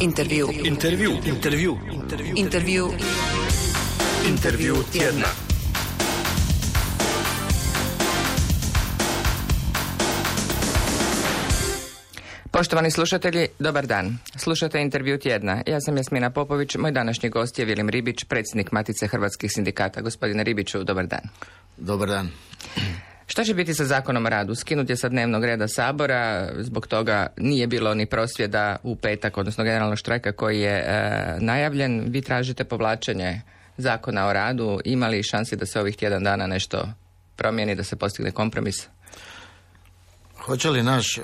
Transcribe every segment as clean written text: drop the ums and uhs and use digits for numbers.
Intervju tjedna. Poštovani slušatelji, dobar dan. Slušate Intervju tjedna. Ja sam Jasmina Popović, moj današnji gost je Vilim Ribić, predsjednik Matice hrvatskih sindikata. Gospodine Ribiću, dobar dan. Dobar dan. Što će biti sa Zakonom o radu? Skinut je sa dnevnog reda Sabora, zbog toga nije bilo ni prosvjeda u petak, odnosno generalnog štrajka koji je najavljen. Vi tražite povlačenje Zakona o radu. Ima li šansi da se ovih tjedan dana nešto promijeni, da se postigne kompromis? Hoće li naš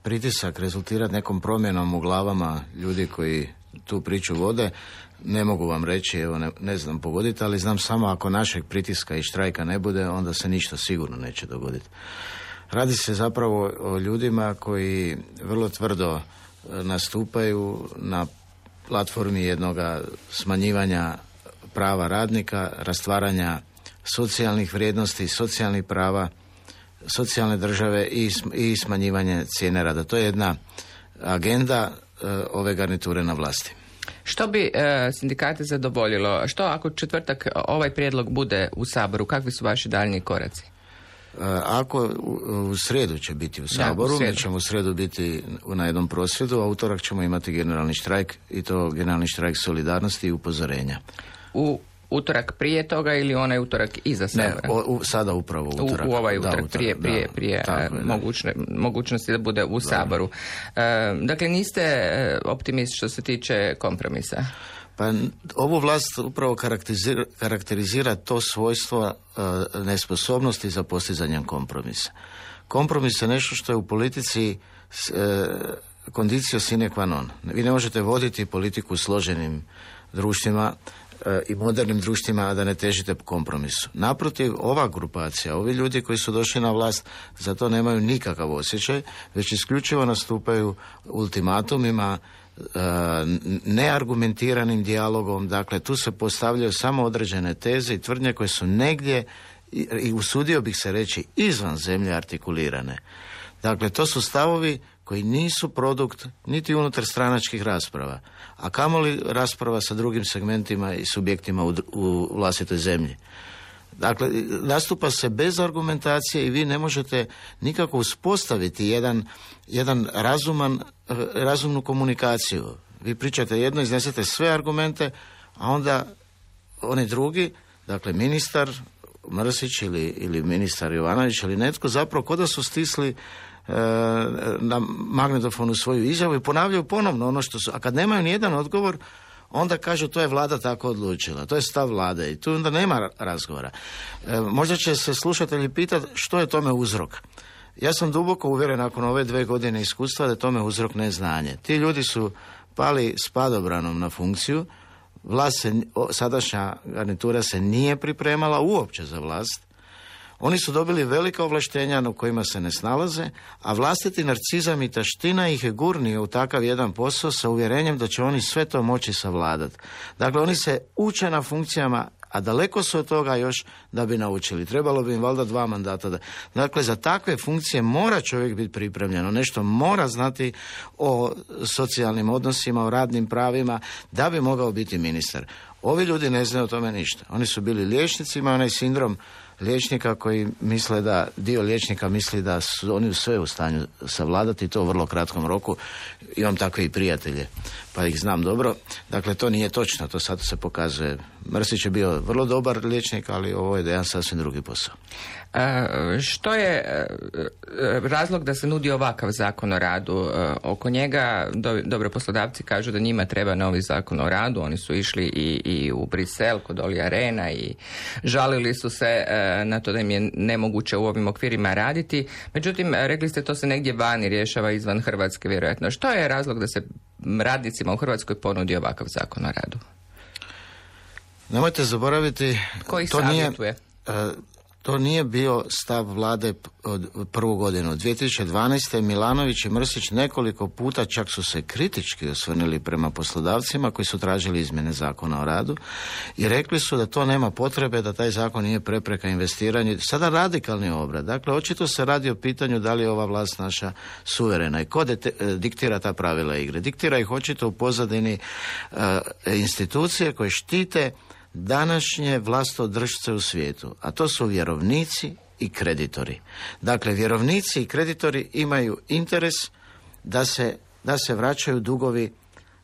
pritisak rezultirati nekom promjenom u glavama ljudi koji tu priču vode? Ne mogu vam reći, evo ne znam pogoditi, ali znam samo ako našeg pritiska i štrajka ne bude, onda se ništa sigurno neće dogoditi. Radi se zapravo o ljudima koji vrlo tvrdo nastupaju na platformi jednoga smanjivanja prava radnika, rastvaranja socijalnih vrijednosti, socijalnih prava, socijalne države i smanjivanje cijene rada. To je jedna agenda ove garniture na vlasti. Što bi sindikate zadovoljilo? Što ako četvrtak ovaj prijedlog bude u Saboru? Kakvi su vaši daljnji koraci? Ako u srijedu će biti u Saboru, mi ćemo u srijedu biti na jednom prosvjedu, a utorak ćemo imati generalni štrajk i to generalni štrajk solidarnosti i upozorenja. U utorak prije toga ili onaj utorak iza Sabora? Ne, sada upravo utorak. U ovaj utorak, prije mogućnosti da bude u Saboru. Dakle, niste optimist što se tiče kompromisa? Pa ovu vlast upravo karakterizira to svojstvo nesposobnosti za postizanjem kompromisa. Kompromis je nešto što je u politici condicio sine qua non. Vi ne možete voditi politiku u složenim društvima i modernim društvima, a da ne težite kompromisu. Naprotiv, ova grupacija, ovi ljudi koji su došli na vlast, za to nemaju nikakav osjećaj, već isključivo nastupaju ultimatumima, neargumentiranim dijalogom. Dakle, tu se postavljaju samo određene teze i tvrdnje koje su negdje, i usudio bih se reći, izvan zemlje artikulirane. Dakle, to su stavovi koji nisu produkt niti unutar stranačkih rasprava, a kamoli rasprava sa drugim segmentima i subjektima u vlastitoj zemlji. Dakle, nastupa se bez argumentacije i vi ne možete nikako uspostaviti jedan razumnu komunikaciju. Vi pričate jedno, iznesete sve argumente, a onda oni drugi, dakle ministar Mrsić ili ministar Jovanović ili netko, zapravo kod da su stisli na magnetofonu svoju izjavu i ponavljaju ponovno ono što su, a kad nemaju nijedan odgovor, onda kažu to je vlada tako odlučila, to je stav vlade i tu onda nema razgovora. Možda će se slušatelji pitati što je tome uzrok. Ja sam duboko uvjeren nakon ove 2 godine iskustva da je tome uzrok neznanje. Ti ljudi su pali s padobranom na funkciju, sadašnja garnitura se nije pripremala uopće za vlast. Oni su dobili velika ovlaštenja na kojima se ne snalaze, a vlastiti narcizam i taština ih je gurnio u takav jedan posao sa uvjerenjem da će oni sve to moći savladati. Dakle, oni se uče na funkcijama, a daleko su od toga još da bi naučili. Trebalo bi im valjda 2 mandata. Dakle, za takve funkcije mora čovjek biti pripremljen. Nešto mora znati o socijalnim odnosima, o radnim pravima, da bi mogao biti ministar. Ovi ljudi ne znaju o tome ništa. Oni su bili liječnicima, onaj sindrom liječnika koji misle da, dio liječnika misli da su oni sve u stanju savladati, to u vrlo kratkom roku. Imam takve i prijatelje, pa ih znam dobro. Dakle, to nije točno, to sad se pokazuje. Mrsić je bio vrlo dobar liječnik, ali ovo je jedan sasvim drugi posao. Što je razlog da se nudi ovakav zakon o radu? Oko njega dobro poslodavci kažu da njima treba novi zakon o radu. Oni su išli i u Brisel kod Olija Rehna i žalili su se na to da im je nemoguće u ovim okvirima raditi. Međutim, rekli ste to se negdje vani rješava izvan Hrvatske vjerojatno. Što je razlog da se radnicima u Hrvatskoj ponudi ovakav zakon o radu? Nemojte zaboraviti, koji savjetuje? To nije bio stav vlade od prvu godinu. 2012. Milanović i Mrsić nekoliko puta čak su se kritički osvrnuli prema poslodavcima koji su tražili izmjene zakona o radu i rekli su da to nema potrebe, da taj zakon nije prepreka investiranju. Sada radikalni obrat. Dakle, očito se radi o pitanju da li je ova vlast naša suverena i ko diktira ta pravila igre. Diktira ih očito u pozadini institucije koje štite današnje vlastodržce u svijetu, a to su vjerovnici i kreditori. Dakle, vjerovnici i kreditori imaju interes da se vraćaju dugovi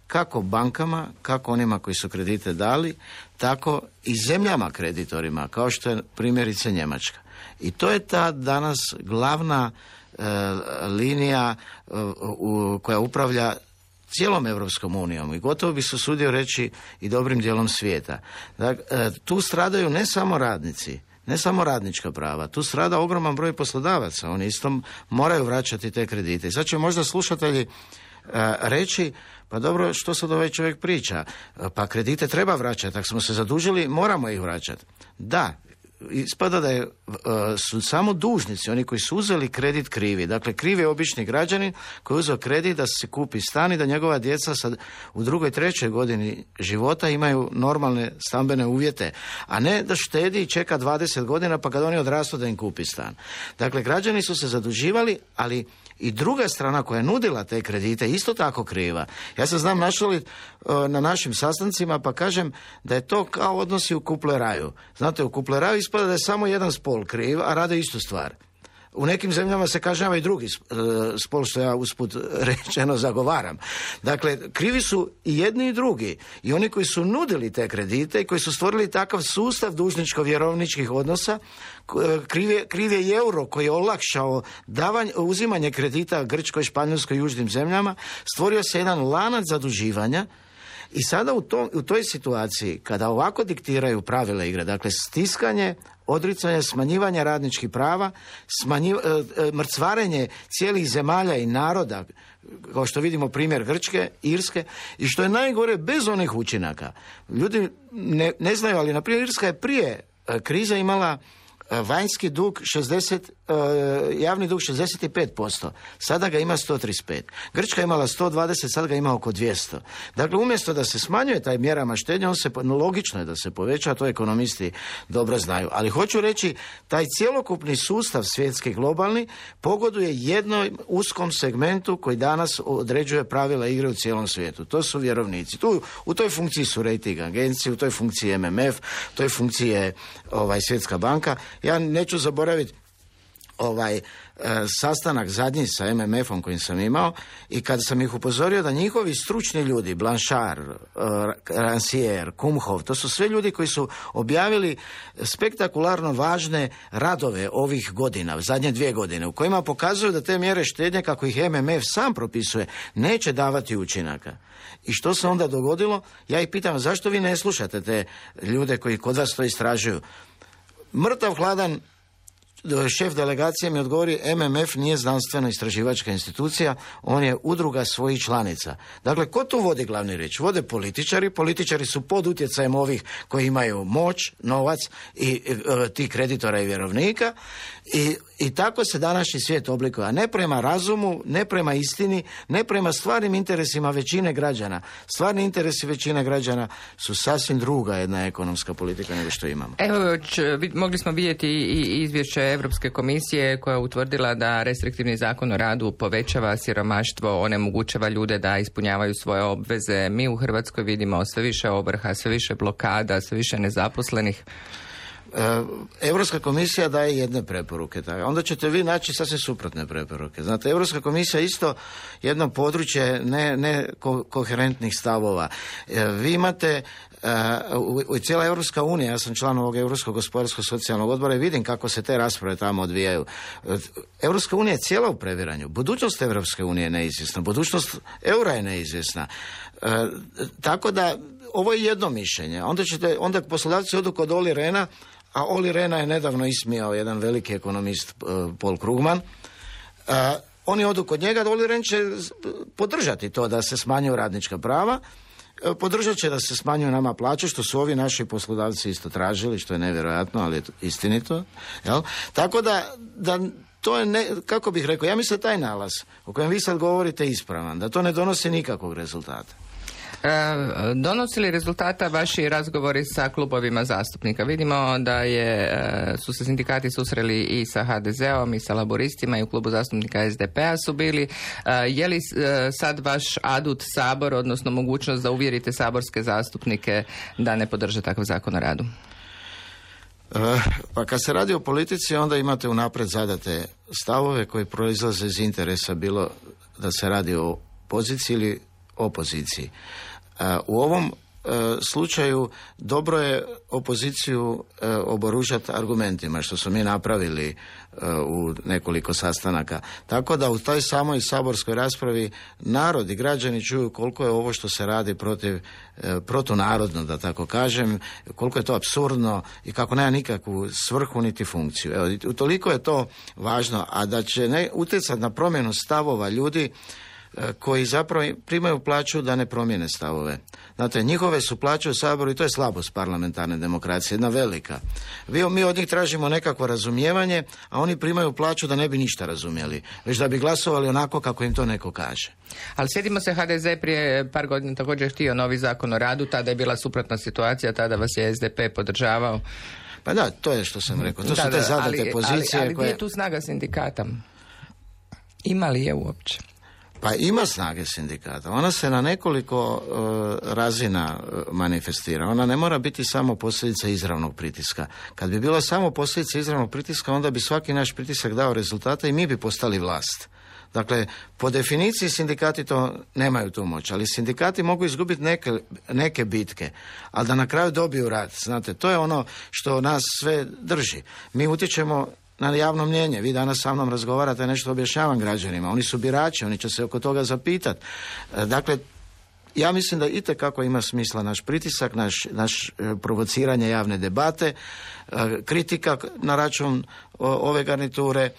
kako bankama, kako onima koji su kredite dali, tako i zemljama kreditorima, kao što je primjerice Njemačka. I to je ta danas glavna linija koja upravlja cijelom Europskom unijom i gotovo bi se usudio reći i dobrim dijelom svijeta. Dakle, tu stradaju ne samo radnici, ne samo radnička prava, tu strada ogroman broj poslodavaca, oni isto moraju vraćati te kredite. I sad će možda slušatelji reći, pa dobro, što sad ovaj čovjek priča? Pa kredite treba vraćati, ako smo se zadužili, moramo ih vraćati. Da, ispada da su samo dužnici, oni koji su uzeli kredit krivi. Dakle, kriv je obični građanin koji je uzeo kredit da se kupi stan i da njegova djeca sad u 2., 3. godini života imaju normalne stambene uvjete, a ne da štedi i čeka 20 godina pa kad oni odrastu da im kupi stan. Dakle, građani su se zaduživali, ali i druga strana koja je nudila te kredite isto tako kriva. Ja se znam našaliti na našim sastancima pa kažem da je to kao odnosi u kupleraju. Znate, u kupleraju ispada da je samo jedan spol kriv, a rade istu stvar. U nekim zemljama se kažnjava i drugi spol, što ja usput rečeno zagovaram. Dakle, krivi su i jedni i drugi. I oni koji su nudili te kredite i koji su stvorili takav sustav dužničko-vjerovničkih odnosa, kriv je i euro koji je olakšao uzimanje kredita Grčkoj, Španjolskoj i južnim zemljama. Stvorio se jedan lanac zaduživanja. I sada u toj situaciji, kada ovako diktiraju pravila igre, dakle stiskanje, odricanje, smanjivanje radničkih prava, mrcvarenje cijelih zemalja i naroda, kao što vidimo primjer Grčke, Irske, i što je najgore bez onih učinaka. Ljudi ne znaju, ali na primjer Irska je prije krize imala vanjski dug javni dug 65%, sada ga ima 135. Grčka je imala 120, sada ga ima oko 200. Dakle, umjesto da se smanjuje taj mjerama štednje, logično je da se poveća, to ekonomisti dobro znaju. Ali hoću reći, taj cjelokupni sustav svjetski globalni pogoduje jednom uskom segmentu koji danas određuje pravila igre u cijelom svijetu. To su vjerovnici. U toj funkciji su rating agencije, u toj funkciji MMF, u toj funkciji je Svjetska banka. Ja neću zaboraviti sastanak zadnji sa MMF-om kojim sam imao i kada sam ih upozorio da njihovi stručni ljudi, Blanchard, Rancière, Kumhof, to su sve ljudi koji su objavili spektakularno važne radove ovih godina, zadnje 2 godine, u kojima pokazuju da te mjere štednje, kako ih MMF sam propisuje, neće davati učinaka. I što se onda dogodilo? Ja ih pitam, zašto vi ne slušate te ljude koji kod vas to istražuju? Mrtav hladan šef delegacije mi odgovori, MMF nije znanstveno istraživačka institucija, on je udruga svojih članica. Dakle, ko tu vodi glavni riječ? Vode političari su pod utjecajem ovih koji imaju moć, novac i tih kreditora i vjerovnika i tako se današnji svijet oblikuje, a ne prema razumu, ne prema istini, ne prema stvarnim interesima većine građana. Stvarni interesi većine građana su sasvim druga jedna ekonomska politika nego što imamo. Evo, mogli smo vidjeti i izvješće Europske komisije koja je utvrdila da restriktivni zakon o radu povećava siromaštvo, onemogućava ljude da ispunjavaju svoje obveze. Mi u Hrvatskoj vidimo sve više ovrha, sve više blokada, sve više nezaposlenih. Europska komisija daje jedne preporuke, onda ćete vi naći sasvim suprotne preporuke. Znate, Europska komisija je isto jedno područje ne koherentnih stavova. Vi imate cijela Europska unija, ja sam član ovog Europskog gospodarskog socijalnog odbora i vidim kako se te rasprave tamo odvijaju. Europska unija je cijela u previranju. Budućnost Europske unije je neizvjesna, budućnost eura je neizvjesna. Tako da ovo je jedno mišljenje. Onda poslodavci odu kod Olli Rehna, a Olli Rehna je nedavno ismijao jedan veliki ekonomist Paul Krugman. Oni odu kod njega, Olli Rehn će podržati to da se smanjuju radnička prava podržat će da se smanjuju nama plaće, što su ovi naši poslodavci isto tražili, što je nevjerojatno, ali je istinito. Jel? Tako da to je, kako bih rekao, ja mislim taj nalaz o kojem vi sad govorite ispravan, da to ne donosi nikakvog rezultata. Donosi li rezultata vaši razgovori sa klubovima zastupnika? Vidimo da su se sindikati susreli i sa HDZ-om i sa laboristima i u klubu zastupnika SDP-a su bili. Je li sad vaš adut Sabor, odnosno mogućnost da uvjerite saborske zastupnike da ne podrže takav zakon o radu? Pa kad se radi o politici, onda imate unaprijed zadate stavove koji proizlaze iz interesa, bilo da se radi o poziciji ili opoziciji. U ovom slučaju dobro je opoziciju oboružati argumentima, što smo mi napravili u nekoliko sastanaka. Tako da u toj samoj saborskoj raspravi narod i građani čuju koliko je ovo što se radi protunarodno, da tako kažem, koliko je to apsurdno i kako nema nikakvu svrhu niti funkciju. Evo, toliko je to važno, a da će utjecati na promjenu stavova ljudi koji zapravo primaju plaću da ne promijene stavove. Znate, njihove su plaće u Saboru i to je slabost parlamentarne demokracije, jedna velika. Mi od njih tražimo nekakvo razumijevanje, a oni primaju plaću da ne bi ništa razumjeli, već da bi glasovali onako kako im to neko kaže. Ali sjetimo se, HDZ prije par godina također htio novi zakon o radu, tada je bila suprotna situacija, tada vas je SDP podržavao. Pa da, to je što sam rekao. To su te zadate pozicije. Ali gdje je tu snaga sindikata? Ima li je uopće? Pa ima snage sindikata. Ona se na nekoliko razina manifestira. Ona ne mora biti samo posljedica izravnog pritiska. Kad bi bila samo posljedica izravnog pritiska, onda bi svaki naš pritisak dao rezultate i mi bi postali vlast. Dakle, po definiciji sindikati to nemaju tu moć, ali sindikati mogu izgubiti neke bitke, ali da na kraju dobiju rad. Znate, to je ono što nas sve drži. Mi utječemo na javno mnjenje. Vi danas sa mnom razgovarate, nešto objašnjavam građanima. Oni su birači, oni će se oko toga zapitati. Dakle, ja mislim da itekako ima smisla naš pritisak, naš provociranje javne debate, kritika na račun ove garniture,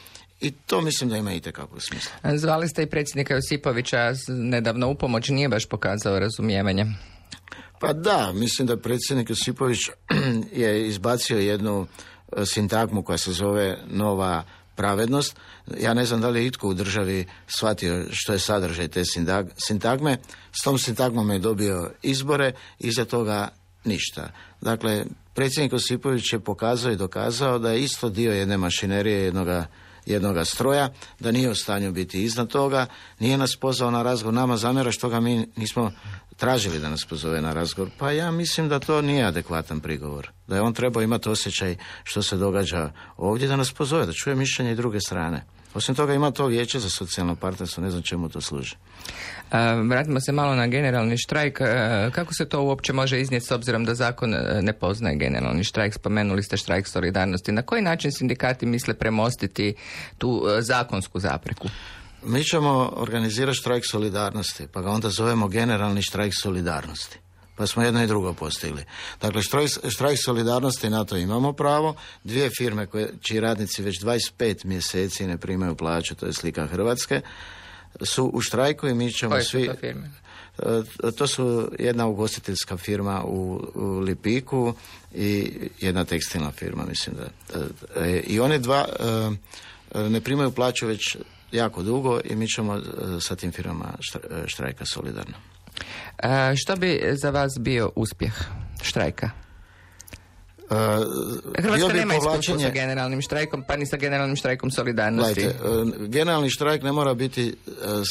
i to mislim da ima itekako smisla. Zvali ste i predsjednika Josipovića nedavno u pomoć, nije baš pokazao razumijevanje. Pa da, mislim da predsjednik Josipović je izbacio jednu sintagmu koja se zove nova pravednost. Ja ne znam da li je itko u državi shvatio što je sadržaj te sintagme. S tom sintagmom je dobio izbore i iza toga ništa. Dakle, predsjednik Josipović je pokazao i dokazao da je isto dio jedne mašinerije, jednoga stroja, da nije u stanju biti iznad toga, nije nas pozvao na razgovor, nama zamjera što ga mi nismo tražili da nas pozove na razgovor. Pa ja mislim da to nije adekvatan prigovor. Da je on trebao imati osjećaj što se događa ovdje, da nas pozove, da čuje mišljenje i druge strane. Osim toga ima to vijeće za socijalno partnerstvo, ne znam čemu to služi. Vratimo se malo na generalni štrajk. Kako se to uopće može iznijeti s obzirom da zakon ne poznaje generalni štrajk? Spomenuli ste štrajk solidarnosti. Na koji način sindikati misle premostiti tu zakonsku zapreku? Mi ćemo organizirati štrajk solidarnosti, pa ga onda zovemo generalni štrajk solidarnosti. Pa smo jedno i drugo postigli. Dakle, štrajk solidarnosti, na to imamo pravo. 2 firme čiji radnici već 25 mjeseci ne primaju plaću, to je slika Hrvatske, su u štrajku i mi ćemo koje svi... Su to firme? To su jedna ugostiteljska firma u Lipiku i jedna tekstilna firma, mislim da. I one dva ne primaju plaću već jako dugo i mi ćemo sa tim firmama štrajka solidarno. Što bi za vas bio uspjeh štrajka? Hrvatska nema iskustva sa generalnim štrajkom, pa ni sa generalnim štrajkom solidarnosti. Gledajte, generalni štrajk ne mora biti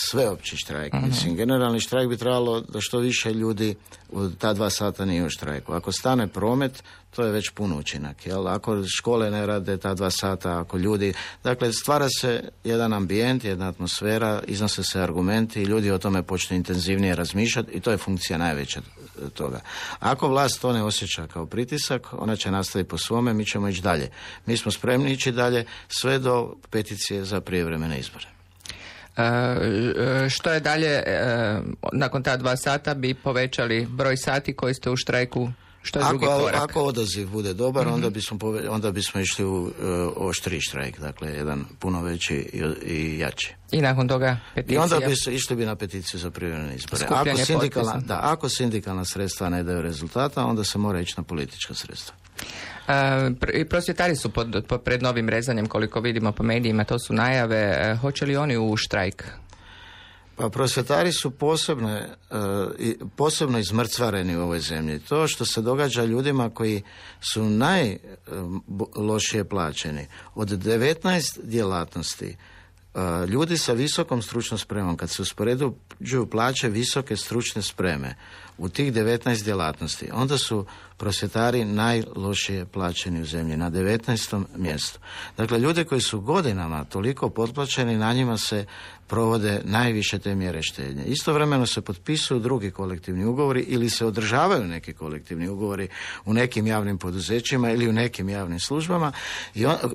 sveopći štrajk. Mislim, generalni štrajk bi trebalo da što više ljudi u ta 2 sata nije u štrajku. Ako stane promet, to je već pun učinak. Jel? Ako škole ne rade ta 2 sata, ako ljudi... Dakle, stvara se jedan ambijent, jedna atmosfera, iznose se argumenti i ljudi o tome počnu intenzivnije razmišljati i to je funkcija najveća toga. Ako vlast to ne osjeća kao pritisak, ona će nastaviti po svome, mi ćemo ići dalje. Mi smo spremni ići dalje sve do peticije za prijevremene izbore. Što je dalje, nakon ta 2 sata bi povećali broj sati koji ste u štrajku Što je drugi korak? Ako odaziv bude dobar, onda bismo išli u oštriji štrajk, dakle jedan puno veći i jači. I nakon toga peticija? I onda išli bi na peticiju za privremene izbore. Ako sindikalna sredstva ne daju rezultata, onda se mora ići na politička sredstva. I prosvjetari su pred novim rezanjem, koliko vidimo po medijima, to su najave. Hoće li oni u štrajk? Pa prosvjetari su posebno izmrcvareni u ovoj zemlji. To što se događa ljudima koji su najlošije plaćeni, od 19 djelatnosti, ljudi sa visokom stručnom spremom, kad se uspoređuju plaće visoke stručne spreme u tih 19 djelatnosti, onda su prosvjetari najlošije plaćeni u zemlji, na 19. mjestu. Dakle, ljudi koji su godinama toliko potplaćeni, na njima se provode najviše te mjere štednje. Istovremeno se potpisuju drugi kolektivni ugovori ili se održavaju neki kolektivni ugovori u nekim javnim poduzećima ili u nekim javnim službama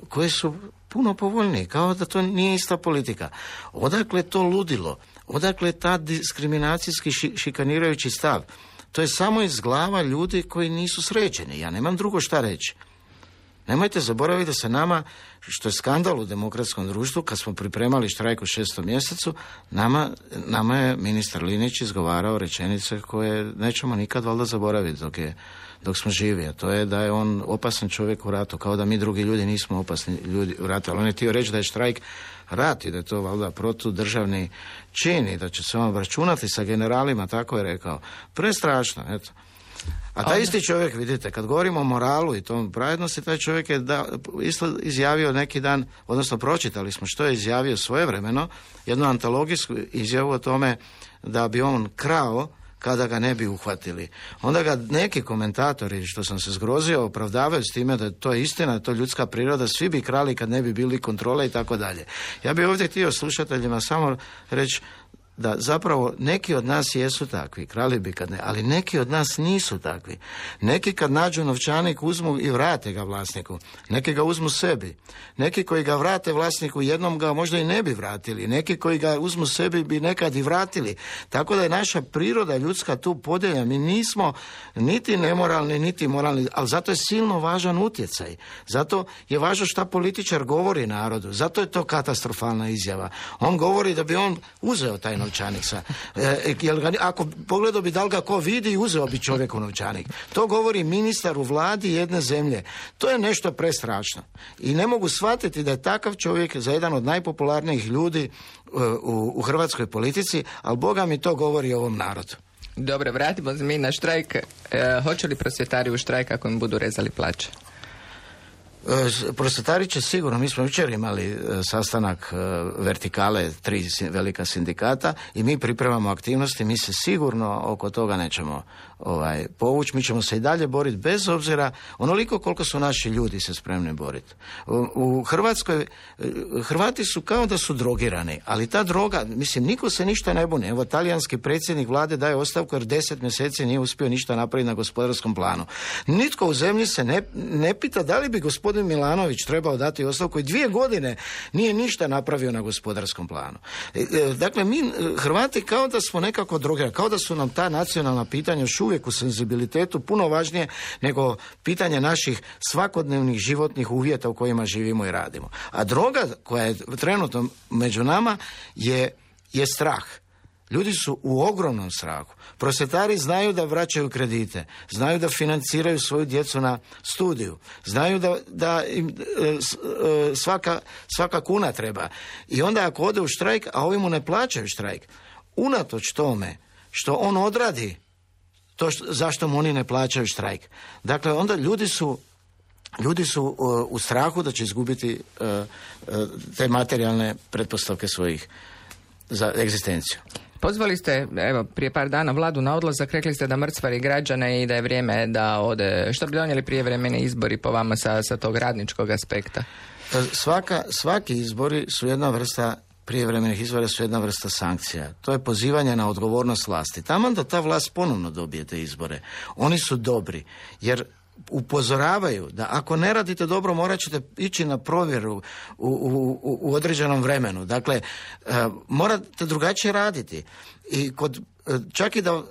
koji su puno povoljniji, kao da to nije ista politika. Odakle to ludilo? Odakle ta diskriminacijski šikanirajući stav? To je samo iz glava ljudi koji nisu sređeni. Ja nemam drugo šta reći. Nemojte zaboraviti da se nama, što je skandal u demokratskom društvu, kad smo pripremali štrajk u 6. mjesecu, nama je ministar Linić izgovarao rečenice koje nećemo nikad valjda zaboraviti dok smo živi, a to je da je on opasan čovjek u ratu, kao da mi drugi ljudi nismo opasni ljudi u ratu, ali on je htio reći da je štrajk rat i da je to valjda protudržavni čin i da će se on obračunati sa generalima, tako je rekao. Prestrašno, eto. A taj isti čovjek, vidite, kad govorimo o moralu i tom pravednosti, taj čovjek je isto izjavio neki dan, odnosno pročitali smo što je izjavio svojevremeno, jednu antologijsku izjavu o tome da bi on krao kada ga ne bi uhvatili. Onda ga neki komentatori, što sam se zgrozio, opravdavaju s time da to je istina, da to je ljudska priroda, svi bi krali kad ne bi bili kontrole i tako dalje. Ja bih ovdje htio slušateljima samo reći da zapravo neki od nas jesu takvi, krali bi kad ne, ali neki od nas nisu takvi. Neki kad nađu novčanik uzmu i vrate ga vlasniku, neki ga uzmu sebi, neki koji ga vrate vlasniku jednom ga možda i ne bi vratili, neki koji ga uzmu sebi bi nekad i vratili. Tako da je naša priroda ljudska tu podijeljena. Mi nismo niti nemoralni, niti moralni, ali zato je silno važan utjecaj. Zato je važno šta političar govori narodu. Zato je to katastrofalna izjava. On govori da bi on uzeo taj novčanik sa. Ako pogledao bi da li ga ko vidi, uzeo bi čovjeku novčanik. To govori ministar u vladi jedne zemlje. To je nešto prestrašno. I ne mogu shvatiti da je takav čovjek za jedan od najpopularnijih ljudi u hrvatskoj politici, ali Boga mi to govori o ovom narodu. Dobro, vratimo se mi na štrajk. Hoće li prosvjetari u štrajk ako im budu rezali plaće? Prosvjetari će sigurno, mi smo jučer imali sastanak vertikale, 3 velika sindikata i mi pripremamo aktivnosti, mi se sigurno oko toga nećemo povući, mi ćemo se i dalje boriti bez obzira onoliko koliko su naši ljudi se spremni boriti. U Hrvatskoj Hrvati su kao da su drogirani, ali ta droga, mislim, niko se ništa ne buni. Evo, talijanski predsjednik vlade daje ostavku jer 10 mjeseci nije uspio ništa napraviti na gospodarskom planu. Nitko u zemlji se ne pita da li bi gospodin Milanović trebao dati ostavku i 2 godine nije ništa napravio na gospodarskom planu. Dakle, mi Hrvati kao da smo nekako drogirani, kao da su nam ta nacionalna pitanja još uvijek u senzibilitetu puno važnije nego pitanje naših svakodnevnih životnih uvjeta u kojima živimo i radimo. A droga koja je trenutno među nama je strah. Ljudi su u ogromnom strahu. Prosvjetari znaju da vraćaju kredite, znaju da financiraju svoju djecu na studiju, znaju da im svaka kuna treba. I onda ako ode u štrajk, a ovi mu ne plaćaju štrajk, unatoč tome što on odradi to zašto mu oni ne plaćaju štrajk. Dakle, onda ljudi su u strahu da će izgubiti te materijalne pretpostavke svojih za egzistenciju. Pozvali ste, evo, prije par dana vladu na odlazak, rekli ste da mrcvari građane i da je vrijeme da ode. Što bi donijeli prijevremeni izbori po vama sa tog radničkog aspekta? Svaki izbori su jedna vrsta, prijevremenih izbora su jedna vrsta sankcija. To je pozivanje na odgovornost vlasti. Taman da ta vlast ponovno dobije te izbore. Oni su dobri, jer upozoravaju da ako ne radite dobro morat ćete ići na provjeru u određenom vremenu. Dakle, morate drugačije raditi. I čak i da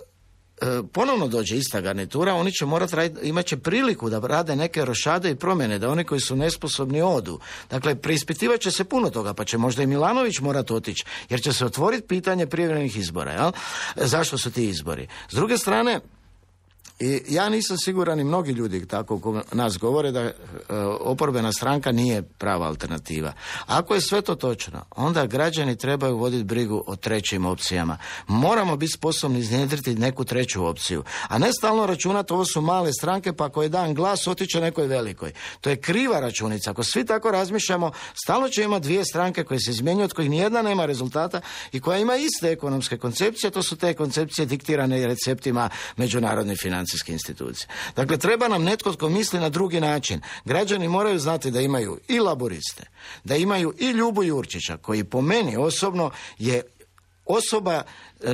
ponovno dođe ista garnitura, oni će morati imat će priliku da rade neke rošade i promjene, da oni koji su nesposobni odu. Dakle, preispitivat će se puno toga, pa će možda i Milanović morati otići, jer će se otvoriti pitanje prijevremenih izbora. Jel? Zašto su ti izbori? S druge strane, i ja nisam siguran i mnogi ljudi tako nas govore da oporbena stranka nije prava alternativa. Ako je sve to točno, onda građani trebaju voditi brigu o trećim opcijama. Moramo biti sposobni iznjedriti neku treću opciju. A ne stalno računati ovo su male stranke pa ako je dan glas otiče nekoj velikoj. To je kriva računica. Ako svi tako razmišljamo, stalno će imati dvije stranke koje se izmjenjuju, od kojih nijedna nema rezultata i koja ima iste ekonomske koncepcije. To su te koncepcije diktirane receptima međunarodnih financijskih institucije. Dakle, treba nam netko tko misli na drugi način. Građani moraju znati da imaju i laburiste, da imaju i Ljubu Jurčića, koji po meni osobno je osoba,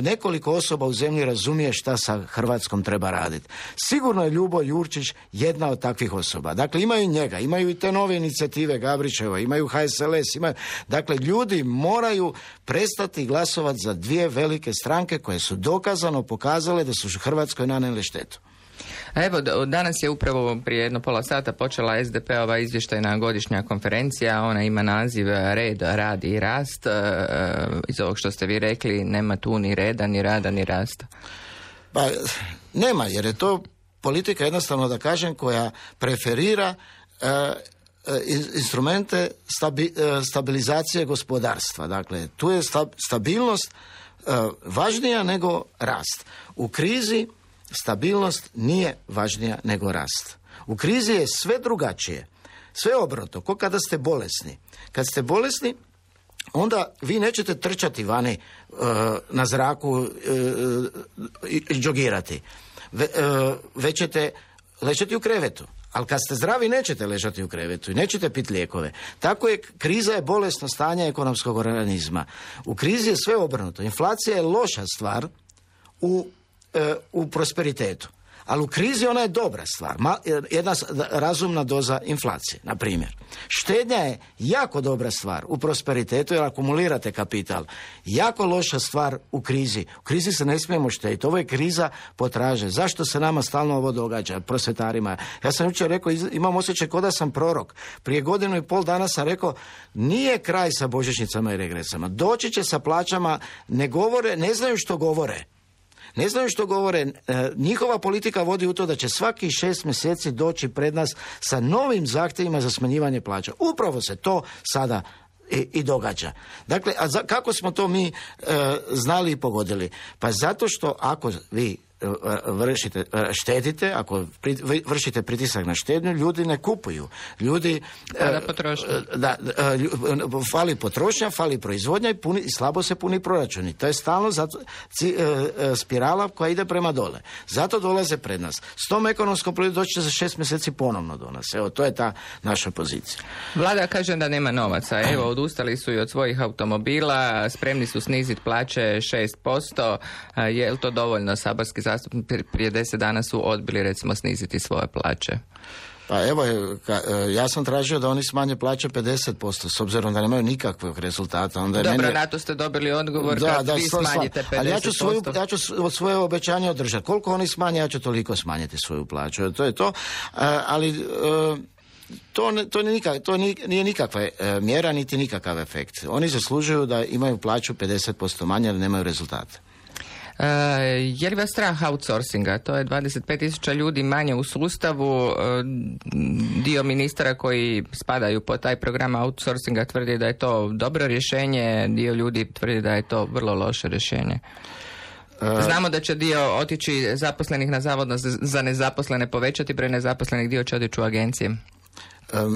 nekoliko osoba u zemlji razumije šta sa Hrvatskom treba raditi. Sigurno je Ljubo Jurčić jedna od takvih osoba. Dakle, imaju njega, imaju i te nove inicijative Gabrićeva, imaju HSLS, imaju... Dakle, ljudi moraju prestati glasovati za dvije velike stranke koje su dokazano pokazale da su Hrvatskoj nanijele štetu. Evo, danas je upravo prije jedno pola sata počela SDP-ova izvještajna godišnja konferencija. Ona ima naziv Red, rad i rast. Iz ovog što ste vi rekli, nema tu ni reda, ni rada, ni rasta. Pa, nema, jer je to politika, jednostavno da kažem, koja preferira instrumente stabilizacije gospodarstva. Dakle, tu je stabilnost važnija nego rast. U krizi stabilnost nije važnija nego rast. U krizi je sve drugačije, sve obrnuto, ko kada ste bolesni. Kad ste bolesni, onda vi nećete trčati vani na zraku i džogirati. Već ćete ležati u krevetu. Ali kad ste zdravi nećete ležati u krevetu i nećete piti lijekove. Tako je, kriza je bolesno stanje ekonomskog organizma. U krizi je sve obrnuto. Inflacija je loša stvar u prosperitetu. Ali u krizi ona je dobra stvar. Jedna razumna doza inflacije, na primjer. Štednja je jako dobra stvar u prosperitetu jer akumulirate kapital. Jako loša stvar u krizi. U krizi se ne smijemo štediti. Ovo je kriza potraže. Zašto se nama stalno ovo događa, prosvjetarima? Ja sam jučer rekao, imam osjećaj kao da sam prorok. Prije 1,5 dana sam rekao, nije kraj sa božićnicama i regresama. Doći će sa plaćama, ne govore, ne znaju što govore. Ne znaju što govore, njihova politika vodi u to da će svaki 6 mjeseci doći pred nas sa novim zahtjevima za smanjivanje plaća. Upravo se to sada i događa. Dakle, kako smo to mi znali i pogodili? Pa zato što ako vi štedite, ako vršite pritisak na štednju, ljudi ne kupuju. Ljudi fali potrošnja, fali proizvodnja i slabo se puni proračuni. To je stalno spirala koja ide prema dole. Zato dolaze pred nas. S tom ekonomskom politikom doći će za 6 mjeseci ponovno do nas. Evo, to je ta naša pozicija. Vlada kaže da nema novaca. Evo, odustali su i od svojih automobila, spremni su sniziti plaće 6%. Je li to dovoljno? Saborski zastupnici prije 10 dana su odbili, recimo, sniziti svoje plaće. Pa evo, ja sam tražio da oni smanje plaće 50%, s obzirom da nemaju nikakvog rezultata. Onda dobro, na to ste dobili odgovor kad vi smanjite 50%. Ali ja ću svoje obećanje održati. Koliko oni smanje, ja ću toliko smanjiti svoju plaću. To je to. Ali... To nije nikakva mjera, niti nikakav efekt. Oni zaslužuju da imaju plaću 50% manje, ali nemaju rezultate. Je li vas strah outsourcinga? To je 25.000 ljudi manje u sustavu. Dio ministara koji spadaju po taj program outsourcinga tvrdi da je to dobro rješenje, dio ljudi tvrdi da je to vrlo loše rješenje. Znamo da će dio otići zaposlenih na zavod za nezaposlene, povećati broj nezaposlenih, dio će otići u agencije.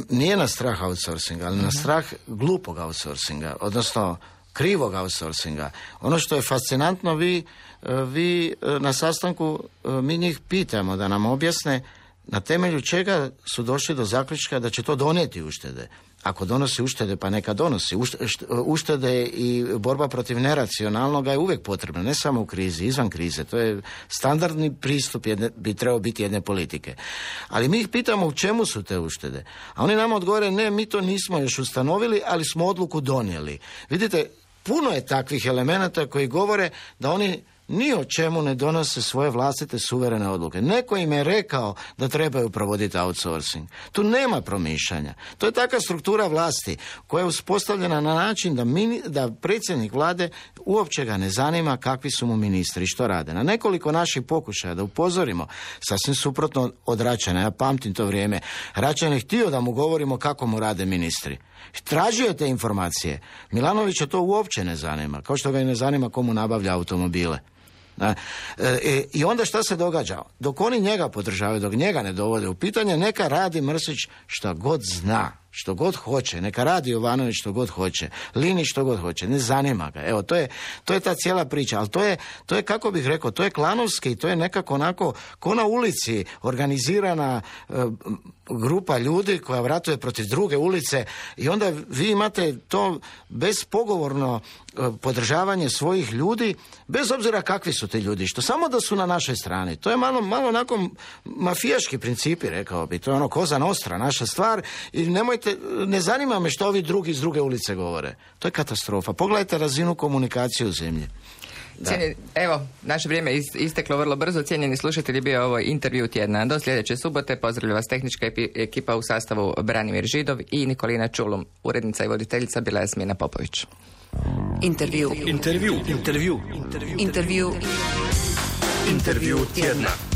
Nije na strah outsourcinga, ali na strah glupog outsourcinga, odnosno krivog outsourcinga. Ono što je fascinantno, vi na sastanku, mi njih pitamo da nam objasne na temelju čega su došli do zaključka da će to donijeti uštede. Ako donosi uštede, pa neka donosi. Uštede i borba protiv neracionalnoga je uvijek potrebna, ne samo u krizi, izvan krize. To je standardni pristup, bi trebao biti jedne politike. Ali mi ih pitamo u čemu su te uštede. A oni nam odgovore, ne, mi to nismo još ustanovili, ali smo odluku donijeli. Vidite, puno je takvih elemenata koji govore da oni ni o čemu ne donose svoje vlastite suverene odluke. Neko im je rekao da trebaju provoditi outsourcing. Tu nema promišljanja. To je takva struktura vlasti koja je uspostavljena na način da predsjednik vlade uopće ga ne zanima kakvi su mu ministri i što rade. Na nekoliko naših pokušaja da upozorimo, sasvim suprotno od Račana, ja pamtim to vrijeme, Račan je htio da mu govorimo kako mu rade ministri. Tražio je te informacije. Milanovića to uopće ne zanima, kao što ga i ne zanima komu nabavlja automobile. I onda šta se događa? Dok oni njega podržavaju, dok njega ne dovode u pitanje, neka radi Mrsić šta god zna, što god hoće, neka radi Jovanović što god hoće, Linić što god hoće, ne zanima ga. Evo, to je ta cijela priča, ali to je kako bih rekao, to je klanovski, to je nekako onako ko na ulici organizirana grupa ljudi koja vratuje protiv druge ulice i onda vi imate to bespogovorno podržavanje svojih ljudi, bez obzira kakvi su ti ljudi, što samo da su na našoj strani. To je malo onako mafijaški principi, rekao bi, to je ono Cosa Nostra, naša stvar, i ne zanima me što ovi drugi iz druge ulice govore. To je katastrofa. Pogledajte razinu komunikacije u zemlji. Evo, naše vrijeme isteklo vrlo brzo. Cijenjeni slušatelji, bio ovo intervju tjedna. Do sljedeće subote pozdravlja vas tehnička ekipa u sastavu Branimir Židov i Nikolina Čulum. Urednica i voditeljica bila je Jasmina Popović. Intervju tjedna.